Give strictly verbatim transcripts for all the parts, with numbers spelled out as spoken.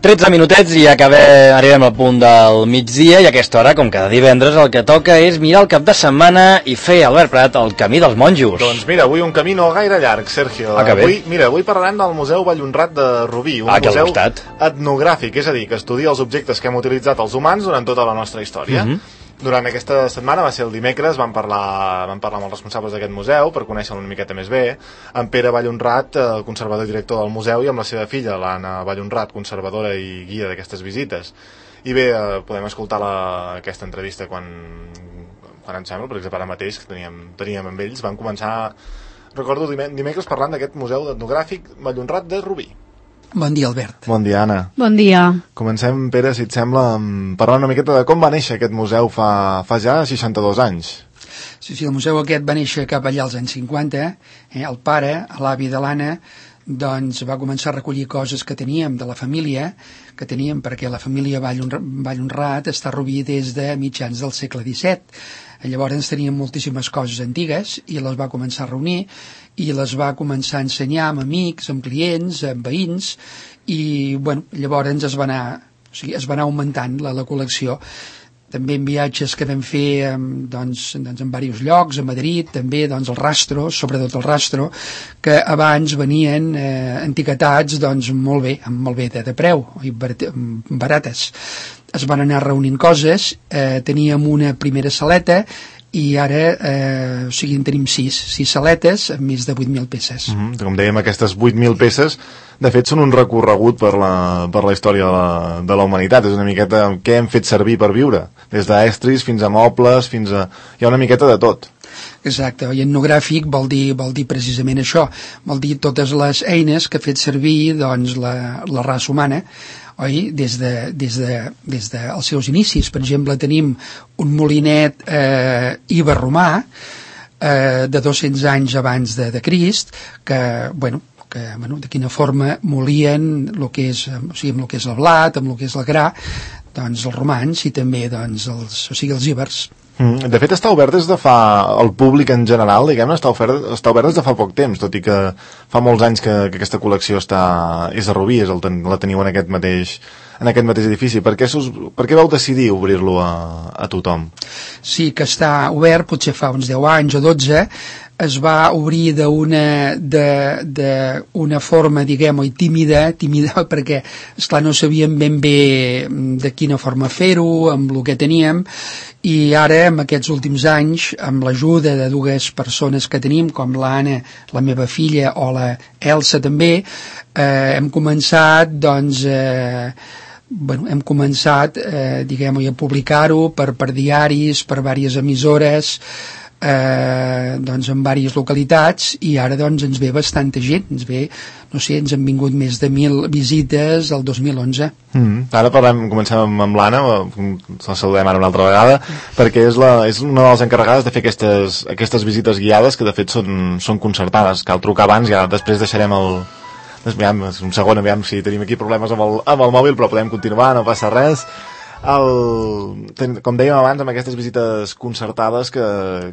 tretze minutets i acabem, arribem al punt del migdia i a aquesta hora, com cada divendres, el que toca és mirar el cap de setmana i fer, Albert Prat, el camí dels monjos. Doncs mira, avui un camí no gaire llarg, Sergio. Ah, que bé. Avui, mira, avui parlarem del Museu Vallhonrat de Rubí, un ah, museu etnogràfic, és a dir, que estudia els objectes que hem utilitzat els humans durant tota la nostra història. Mm-hmm. Durant aquesta setmana, va ser el dimecres, vam parlar, vam parlar amb els responsables d'aquest museu per conèixer-lo una miqueta més bé, amb Pere Vallhonrat, el conservador i director del museu, i amb la seva filla, l'Anna Vallhonrat, conservadora i guia d'aquestes visites. I bé, eh, podem escoltar la, aquesta entrevista quan, quan em sembla, per exemple, ara mateix, que teníem, teníem amb ells, vam començar, recordo, dimecres parlant d'aquest museu etnogràfic Vallhonrat de Rubí. Bon dia, Albert. Bon dia, Anna. Bon dia. Comencem, Pere, si et sembla, parlant una miqueta de com va néixer aquest museu fa, fa ja seixanta-dos anys. Sí, sí, el museu aquest va néixer cap allà als anys cinquanta. Eh? El pare, l'avi de l'Anna, doncs va començar a recollir coses que teníem de la família, que teníem perquè la família Vallhonrat està a Rubí des de mitjans del segle disset. Llavors teníem moltíssimes coses antigues i les va començar a reunir i les va començar a ensenyar amb amics, amb clients, amb veïns i bueno, llavors es va anar, o sigui, es va anar augmentant la, la col·lecció. També en viatges que vam fer doncs, doncs en diversos llocs, a Madrid, també doncs, el Rastro, sobretot el Rastro, que abans venien eh, etiquetats doncs, molt bé, amb molt bé de, de preu, i barates. Es van anar reunint coses, eh, teníem una primera saleta i ara eh, o sigui, en tenim sis, sis saletes amb més de vuit mil peces. Mm-hmm. Com dèiem, aquestes vuit mil peces de fet són un recorregut per la, per la història de la, de la humanitat. És una miqueta què hem fet servir per viure, des d'estris fins a mobles, fins a... hi ha una miqueta de tot. Exacte, i etnogràfic vol dir, vol dir precisament això, vol dir totes les eines que ha fet servir doncs, la, la raça humana, oi? Des de, des de, des dels seus inicis. Per exemple, tenim un molinet eh, iberromà eh, de dos-cents anys abans de, de Crist, que, bueno, que, bueno, de quina forma molien el que és, o sigui, amb el que és el blat, amb el que és el gra, doncs els romans i també doncs, els, o sigui, els ibers. Mm, de fet està obert des de fa, el públic en general, diguem-ne, està, ofert, està obert des de fa poc temps, tot i que fa molts anys que, que aquesta col·lecció està, és a Rubí, és el, la teniu en aquest mateix, en aquest mateix edifici. Per què, sus, per què vau decidir obrir-lo a, a tothom? Sí, que està obert, potser fa uns deu anys o dotze, es va obrir d'una d'una forma, diguem-ho, tímida, tímida perquè, esclar, no sabíem ben bé de quina forma fer-ho, amb el que teníem, i ara, en aquests últims anys, amb l'ajuda de dues persones que tenim, com l'Anna, la meva filla, o la Elsa també, eh, hem començat, doncs, eh, bueno, hem començat, eh, diguem-ho, a publicar-ho per, per diaris, per diverses emissores, Eh, doncs en diverses localitats, i ara doncs ens ve bastanta gent, ens ve, no sé, ens han vingut més de mil visites el dos mil onze. Mm, ara parlem, comencem amb, amb l'Anna, la saludem ara una altra vegada, perquè és, la, és una de les encarregades de fer aquestes, aquestes visites guiades, que de fet són, són concertades. Cal trucar abans, ja després deixarem el... Aviam, un segon, aviam si tenim aquí problemes amb el, amb el mòbil, però podem continuar, no passa res. El, com dèiem abans, amb aquestes visites concertades que,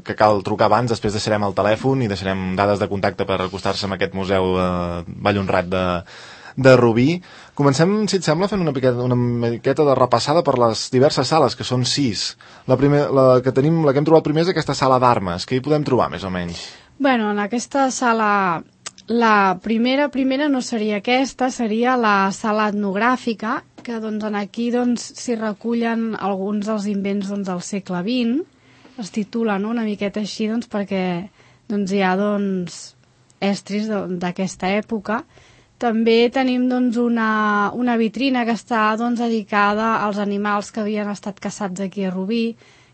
que cal trucar abans, després deixarem el telèfon i deixarem dades de contacte per acostar-se amb aquest museu eh, Vallhonrat de, de Rubí. Comencem, si et sembla, fent una miqueta, una miqueta de repassada per les diverses sales, que són sis. La, primer, la, que tenim, la que hem trobat primer és aquesta sala d'armes. Què hi podem trobar, més o menys? Bueno, en aquesta sala, la primera, primera no seria aquesta, seria la sala etnogràfica, que doncs, aquí doncs, s'hi recullen alguns dels invents doncs, del segle vint, es titula, no?, una miqueta així doncs, perquè doncs, hi ha doncs, estris d'aquesta època. També tenim doncs, una, una vitrina que està doncs, dedicada als animals que havien estat caçats aquí a Rubí,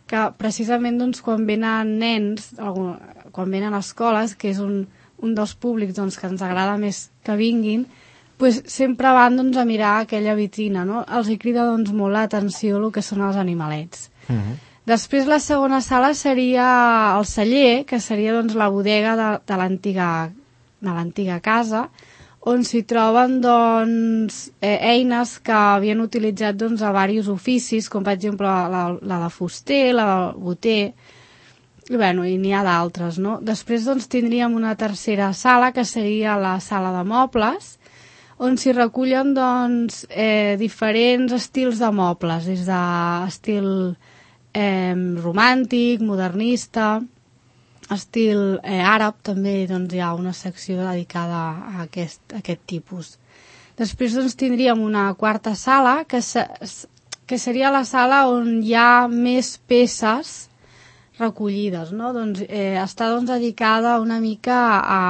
que precisament doncs, quan venen nens, quan venen a escoles, que és un, un dels públics doncs, que ens agrada més que vinguin, pues sempre van doncs, a mirar aquella vitrina, no? Els hi crida doncs, molt l'atenció el que són els animalets. Uh-huh. Després la segona sala seria el celler, que seria doncs, la bodega de, de l'antiga de l'antiga casa, on s'hi troben doncs, eh, eines que havien utilitzat doncs, a diversos oficis, com per exemple la, la de fuster, la del boter, i, bueno, i n'hi ha d'altres, no? Després doncs, tindríem una tercera sala, que seria la sala de mobles, on s'hi recullen doncs, eh, diferents estils de mobles, des d'estil eh, romàntic, modernista, estil eh, àrab, també doncs, hi ha una secció dedicada a aquest, a aquest tipus. Després doncs, tindríem una quarta sala, que, se, que seria la sala on hi ha més peces recollides, no? Doncs, eh, està doncs, dedicada una mica a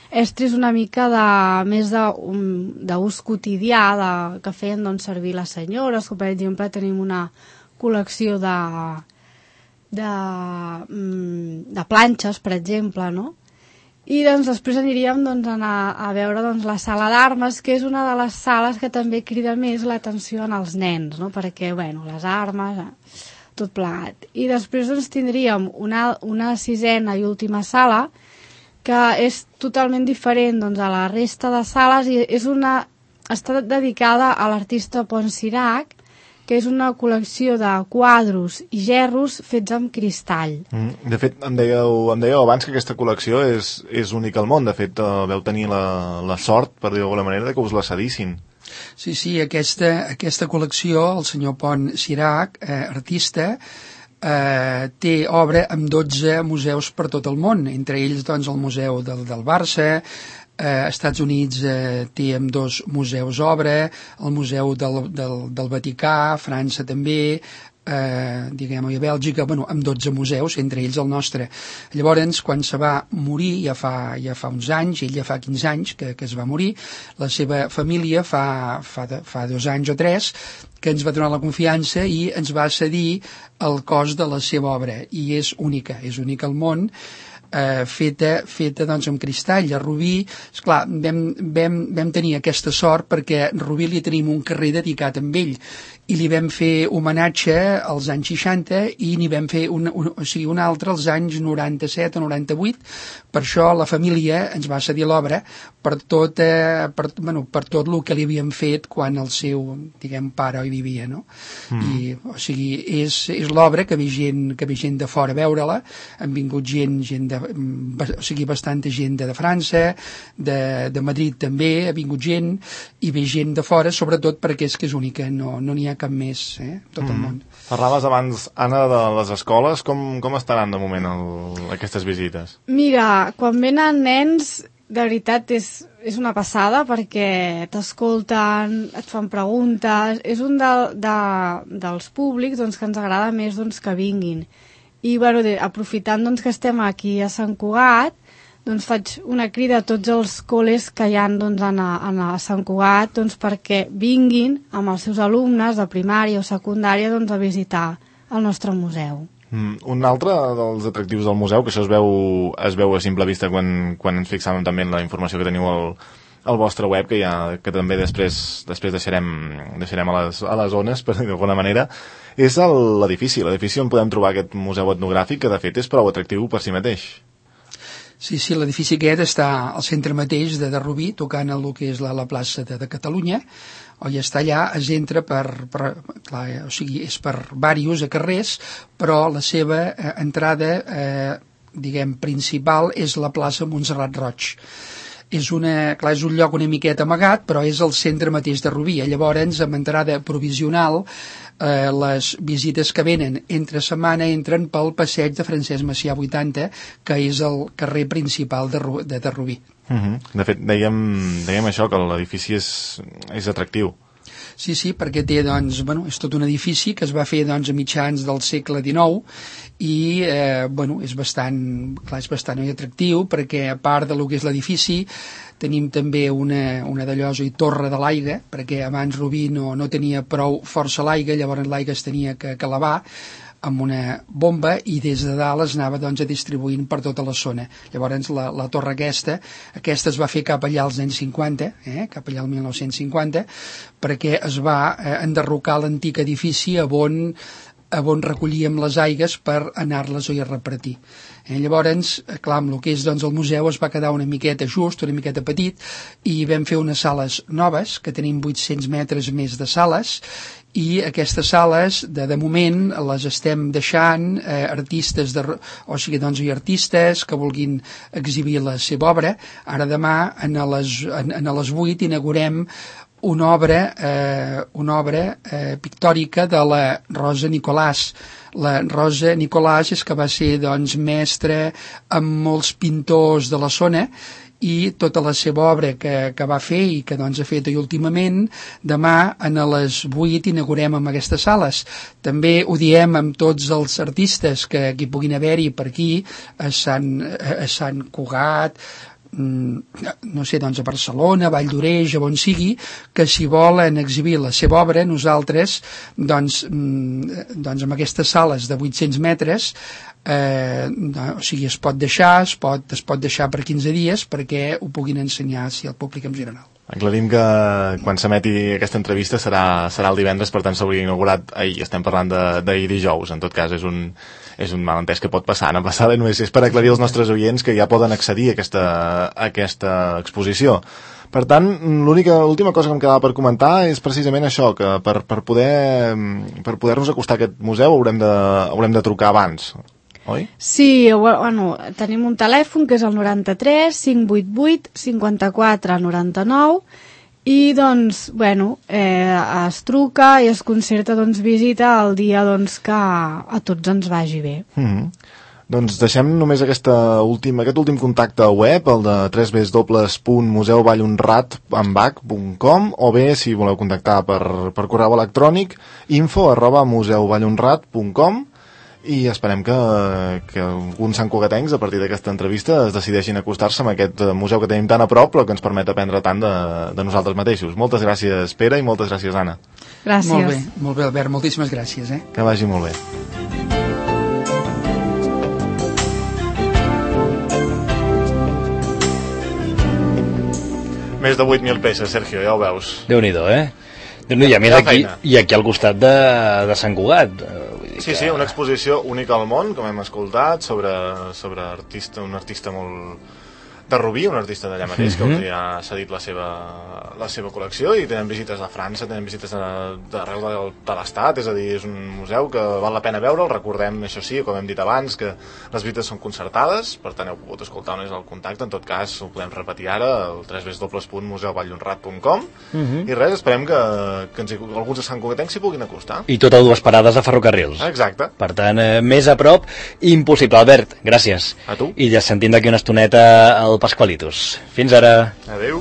estris una mica de, més d'ús quotidià de, que feien doncs, servir les senyores, que per exemple tenim una col·lecció de, de, de planxes, per exemple, no? I doncs, després aniríem doncs, a, anar a veure doncs, la sala d'armes, que és una de les sales que també crida més l'atenció en els nens, no? Perquè, bueno, les armes, tot plegat. I després doncs, tindríem una, una sisena i última sala, que és totalment diferent doncs, a la resta de sales i és una, està dedicada a l'artista Pont Sirac, que és una col·lecció de quadros i gerros fets amb cristall. Mm, de fet, em dèieu, em dèieu abans que aquesta col·lecció és, és única al món. De fet, eh, veu tenir la, la sort, per dir d'alguna manera, de que us la cedissin. Sí, sí, aquesta, aquesta col·lecció, el senyor Pont Sirac, eh, artista, Eh, té obra en dotze museus per tot el món, entre ells doncs, el museu del, del Barça, eh, Estats Units eh, té amb dos museus obra, el museu del, del, del Vaticà, França també, eh, diguem-ho, a Bèlgica, bueno, amb dotze museus, entre ells el nostre. Llavors, quan se va morir, ja fa, ja fa uns anys, ell ja fa quinze anys que, que es va morir, la seva família fa, fa, de, fa dos anys o tres, que ens va donar la confiança i ens va cedir el cos de la seva obra, i és única, és única al món, eh, feta, feta doncs, amb cristall. A Rubí, esclar, vam, vam, vam tenir aquesta sort perquè a Rubí li tenim un carrer dedicat amb ell, i li vam fer homenatge als anys seixanta i n'hi vam fer un, un, o sigui, un altre als anys noranta-set o noranta-vuit. Per això la família ens va cedir l'obra per tot, eh, per, bueno, per tot el que li havíem fet quan el seu, diguem, pare hi vivia, no? Mm. I, o sigui, és, és l'obra que ve gent, que ve gent de fora a veure-la, han vingut gent, gent de, o sigui, bastanta gent de, de França, de, de Madrid també, ha vingut gent, i ve gent de fora, sobretot perquè és que és única, no n'hi no ha cap més, eh, tot el món. Mm. Parlaves abans, Anna, de les escoles. Com, com estaran de moment el, aquestes visites? Mira, quan venen nens, de veritat és, és una passada perquè t'escolten, et fan preguntes, és un de, de, dels públics doncs, que ens agrada més doncs, que vinguin. I bueno, de, aprofitant doncs, que estem aquí a Sant Cugat, doncs faig una crida a tots els col·les que hi ha doncs, a, a Sant Cugat doncs, perquè vinguin amb els seus alumnes de primària o secundària doncs, a visitar el nostre museu. Mm, un altre dels atractius del museu, que això es veu, es veu a simple vista quan, quan ens fixàvem també en la informació que teniu al, al vostre web, que, ja, que també després, després deixarem, deixarem a, les, a les zones, per dir d'alguna manera, és l'edifici, l'edifici on podem trobar aquest museu etnogràfic, que de fet és prou atractiu per si mateix. Sí, sí, l'edifici aquest està al centre mateix de, de Rubí, tocant el que és la, la plaça de, de Catalunya, o ja està allà, es entra per, per clar, o sigui, és per diversos carrers, però la seva eh, entrada, eh, diguem, principal és la plaça Montserrat Roig. És, una, clar, és un lloc una miqueta amagat, però és el centre mateix de Rubí. Llavors, amb entrada provisional, eh, les visites que venen entre setmana entren pel passeig de Francesc Macià vuitanta, que és el carrer principal de, de, de Rubí. Uh-huh. De fet, dèiem, dèiem això, que l'edifici és, és atractiu. Sí, sí, perquè té, doncs, bueno, és tot un edifici que es va fer, doncs, a mitjans del segle dinou i, eh, bueno, és bastant, clar, és bastant atractiu perquè, a part de lo que és l'edifici, tenim també una, una d'allòs i torre de l'aigua, perquè abans Rubí no, no tenia prou força l'aigua, llavors l'aigua es tenia que, que lavar amb una bomba i des de dalt es anava doncs, a distribuint per tota la zona. Llavors la, la torre aquesta, aquesta es va fer cap allà als anys cinquanta, eh, cap allà al mil nou-cents cinquanta, perquè es va eh, enderrocar l'antic edifici on, on recollíem les aigues per anar-les a repartir. Eh, llavors, clar, amb el que és doncs, el museu es va quedar una miqueta just, una miqueta petit, i vam fer unes sales noves, que tenim vuit-cents metres més de sales, i aquestes sales de, de moment les estem deixant eh, artistes de, o sigui, doncs hi ha artistes que vulguin exhibir la seva obra. Ara demà en les, en, en les vuit inaugurem una obra eh, una obra eh, pictòrica de la Rosa Nicolàs. La Rosa Nicolàs és que va ser doncs mestra amb molts pintors de la zona, i tota la seva obra que, que va fer i que doncs ha fet últimament, demà a les vuit inaugurem amb aquestes sales. També ho diem amb tots els artistes que, que puguin haver-hi per aquí, a Sant, a Sant Cugat, no sé, doncs a Barcelona, Vall d'Oreix, on sigui, que si volen exhibir la seva obra, nosaltres doncs, doncs amb aquestes sales de vuit-cents metres eh, o sigui, es pot deixar es pot, es pot deixar per quinze dies perquè ho puguin ensenyar si al públic en general. Aclarim que quan s'emeti aquesta entrevista serà, serà el divendres, per tant s'hauria inaugurat ahir, estem parlant d'ahir dijous, en tot cas és un, és un malentès que pot passar, no passar, només és per aclarir als nostres oients que ja poden accedir a aquesta, a aquesta exposició. Per tant, l'última cosa que em quedava per comentar és precisament això, que per, per poder per poder-nos acostar a aquest museu haurem de, haurem de trucar abans, oi? Sí, bueno, tenim un telèfon que és el noranta-tres cinc vuit vuit cinquanta-quatre noranta-nou i doncs, bueno, eh, es truca i es concerta doncs, visita el dia doncs, que a tots ens vagi bé. Mm-hmm. Doncs deixem només aquesta última, aquest últim contacte web, el de w w w punt museu vallhonrat amb h punt com, o bé, si voleu contactar per, per correu electrònic, info arroba museu vallhonrat punt com, i esperem que, que alguns santcugatencs a partir d'aquesta entrevista es decideixin acostar-se a aquest museu que tenim tan a prop però que ens permet aprendre tant de, de nosaltres mateixos. Moltes gràcies, Pere, i moltes gràcies, Anna. Gràcies. Molt bé, molt bé, Albert, moltíssimes gràcies. Eh? Que vagi molt bé. Més de vuit mil peces, Sergio, ja ho veus. Déu-n'hi-do, eh? Déu-n'hi-do, i a més aquí, i aquí al costat de, de Sant Cugat. Sí, sí, una exposició única al món, com hem escoltat, sobre, sobre artista, un artista molt de Rubí, un artista d'allà mateix, que els ha cedit la seva, la seva col·lecció, i tenen visites de França, tenen visites d'arreu de, de l'Estat, és a dir, és un museu que val la pena veure'l. Recordem, això sí, com hem dit abans, que les visites són concertades, per tant heu pogut escoltar on és el contacte, en tot cas ho podem repetir ara, el w w w punt museu vallhonrat punt com, i res, esperem que, que ens, alguns de Sant Cugatencs s'hi puguin acostar. I tot a dues parades de ferrocarrils. Exacte. Per tant, eh, més a prop, impossible. Albert, gràcies. A tu. I ja sentim d'aquí una estoneta el Pasqualitos. Fins ara. Adéu.